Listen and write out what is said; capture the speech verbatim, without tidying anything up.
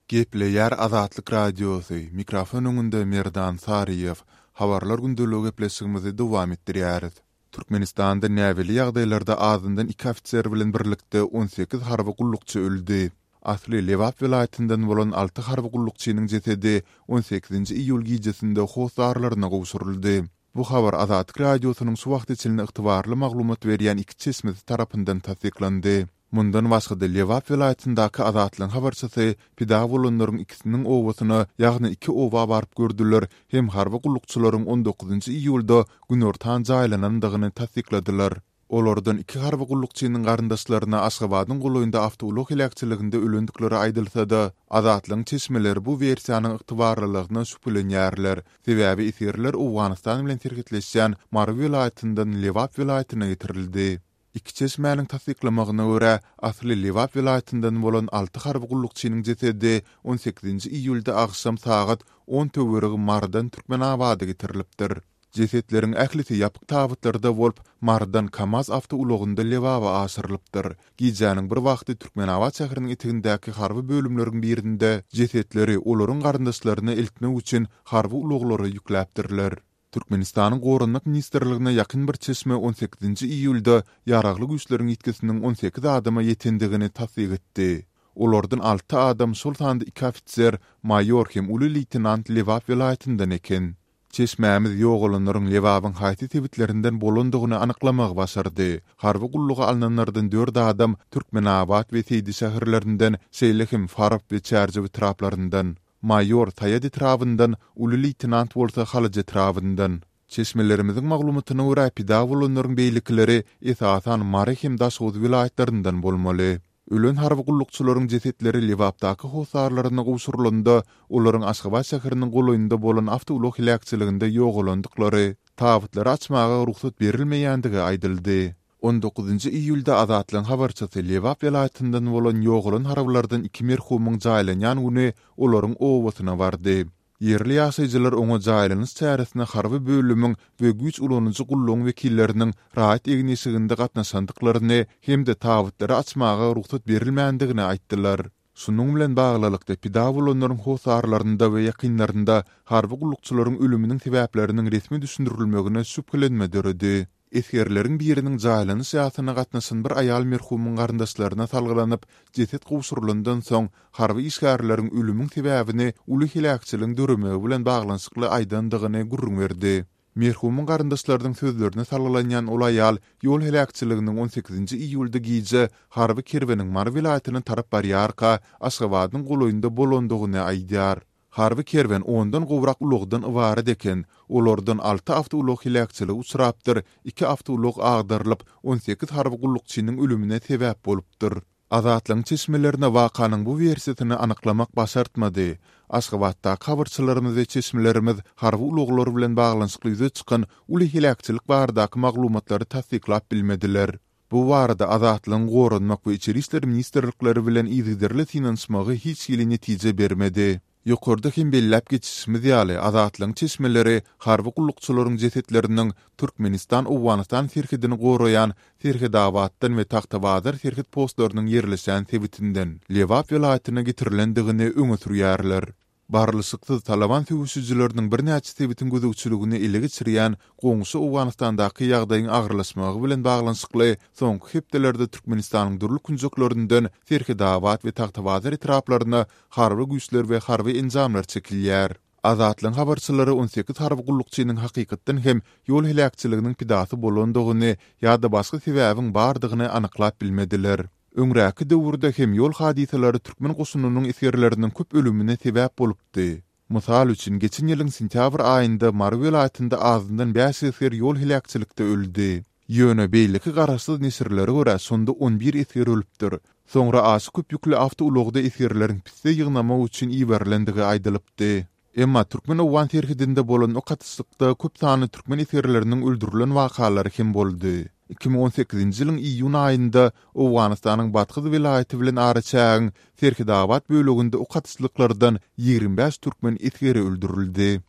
Gepleýär Azatlyk Radiosy, mikrofon öňünde Merdan Saryýew. Habarlar gündeligi gepleşigimizi dowam etdirýäris. Türkmenistanda näbelli ýagdaýlarda azyndan iki ofiser bilen birlikde on sekiz harby gullukçy öldi. Asly Lebap welaýatyndan bolan alty harby gullukçynyň jesedi on sekizinji iýul gijesinde hossarlaryna gowşuryldy. Bu habar Azatlyk Radiosynyň şu wagta çenli ygtybarly maglumat berýän iki çeşmesi tarapyndan tassyklandy. Mundan başga-da Lebap welaýatyndaky Azatlygyň habarçysy pida bolanlaryň ikisiniň obasyna, ýagny iki oba baryp gördüler hem harby gullukçylaryň on dokuzynjy iýulda günortan jaýlanandygyny tassykladylar. Olardan iki harby gullukçynyň garyndaşlaryna Aşgabadyň golaýynda awtoulag heläkçiliginde ölendikleri aýdylsa-da, Azatlygyň çeşmeleri bu wersiýanyň ygtybarlylygyna şübhelenýärler, sebäbi esgerler Owganystan bilen serhetleşýän Mary welaýatyndan Lebap welaýatyna getirildi. Iki çeşmäniň tassyklamagyna görä, asly Lebap welaýatyndan bolan alty harby gullukçynyň jesedi on sekizinji iýulda agşam sagat on töweregi Marydan Türkmenabada getirilipdir. Jesetleriň ählisi ýapyk tabytlarda bolup, Marydan KAMAZ awtoulagynda Lebaba aşyrylypdyr. Gijäniň bir wagty Türkmenabat şäheriniň etegindäki harby bölümleriň birinde jesetleri olaryň garyndaşlaryna eltmek üçin harby ulaglara ýükläpdirler. Türkmenistanyň Goranmak ministrligine ýakyn bir çeşme on sekizinji iýulda ýaragly güýçleriň ýitgisiniň on sekiz adama ýetendigini tassyk etdi. Olardan alty adam, şol sanda iki ofiser, maýor hem uly leýtenant Lebap welaýatyndan eken. Çeşmämiz ýogalanlaryň Lebabyň haýsy sebitlerinden bolandygyny anyklamagy başardy. Harby gulluga alnanlardan dört adam Türkmenabat we Seýdi şäherlerinden, şeýle hem Farap we Çärjew etraplaryndan. Maýor Saýat etrabyndan, uly leýtenant bolsa Halaç etrabyndan. Çeşmelerimiziň maglumatyna görä, pida bolanlaryň beýlekileri esasan Mary hem Daşoguz welaýatlaryndan bolmaly. Ölen harby gullukçylaryň jesetleri Lebapdaky hossarlaryna gowşurylanda, olaryň Aşgabat şäheriniň golaýynda bolan awtoulag heläkçiliginde ýogalandyklary, tabytlary açmaga rugsat berilmeýändigi aýdyldy. On dokuzynjy iýulda Azatlygyň habarçysy Lebap welaýatyndan bolan ýogalan harbylardan iki merhumyň jaýlanýan güni olaryň obasyna bardy. Ýerli ýaşaýjylar oňa jaýlanyş çäresine harby bölümiň we güýç ulanyjy gullugyň wekilleriniň raýat egin-eşiginde gatnaşandyklaryny hem-de tabytlary açmaga rugsat berilmändigini aýtdylar. Şunuň bilen baglylykda, pida bolanlaryň hossarlarynda we ýakynlarynda harby gullukçylaryň ölüminiň sebäpleriniň resmi düşündirilmegine şübhelenme döredi. Esgerleriň biriniň jaýlanyş ýasyna gatnaşan bir aýal merhumyň garyndaşlaryna salgylanyp, jeset gowşurylandan soň harby işgärleriň ölümiň sebäbini uly heläkçiligiň döremegi bilen baglanyşykly aýdandygyny gürrüň berdi. Merhumyň garyndaşlarynyň sözlerine salgylanýan ol aýal ýol heläkçiliginiň on sekizinji iýulda gije harby kerweniň Mary welaýatyna tarap barýarka Aşgabadyň golaýynda bolandygyny aýdýar. Harby kerwen ondan gowrak ulagdan ybarat eken, olardan alty awtoulag heläkçilige uçrapdyr, iki awtoulag agdarylyp, on sekiz harby gullukçynyň ölümine sebäp bolupdyr. Azatlygyň çeşmelerine wakanyň bu wersiýasyny anyklamak başartmady. Aşgabatdaky habarçylarymyz we çeşmelerimiz harby ulaglar bilen baglanyşykly ýüze çykan uly heläkçilik baradaky maglumatlary tassyklap bilmediler. Bu barada Azatlygyň Goranmak we Içeri işler ministrlikleri bilen yzygiderli synanyşmagy hiç hili netije bermedi. Ýokarda hem belläp geçişimiz ýaly, Azatlygyň çeşmeleri harby gullukçylaryň jesetleriniň Türkmenistan-Owganystan serhedini goraýan Serhetabatdan we Tagtabazar serhet postlarynyň ýerleşýän sebitinden Lebap welaýatyna getirilendigini öňe sürýärler. Barlyşyksyz Taliban söweşijileriniň birnäçe sebitiň gözegçiligini ele geçirýän goňşy Owganystandaky ýagdaýyň agyrlaşmagy bilen baglanyşykly soňky hepdelerde Türkmenistanyň dürli künjeklerinden Serhetabat we Tagtabazar etraplaryna harby güýçler we harby enjamlar çekilýär. Azatlygyň habarçylary on sekiz harby gullukçynyň hakykatdan hem ýol heläkçiliginiň pidasy bolandygyny ýa-da başga sebäbiň bardygyny anyklap bilmediler. Öňräki döwürde hem ýol hadysalary türkmen goşunynyň esgerleriniň köp ölümine sebäp bolupdy. Mysal üçin, geçen ýylyň sentýabr aýynda Mary welaýatynda azyndan bäş esger ýol heläkçilikde öldi. Ýöne beýleki garaşsyz neşirlere görä şonda on bir esger ölüpdir. Soňra aşa köp ýükli awtoulagda esgerleriň pisse ýygnamak üçin iberilendigi aýdylypdy. Emma türkmen-owgan serhedinde bolan ok atyşlykda köp sanly türkmen esgerleriniň öldürilen wakalary hem boldy. Iki müň on sekizinji ýylyň iýun aýynda Owganystanyň Bathyz welaýaty bilen araçägiň Serhetabat böleginde ok atyşlyklardan ýigrimi bäş türkmen esgeri öldürildi.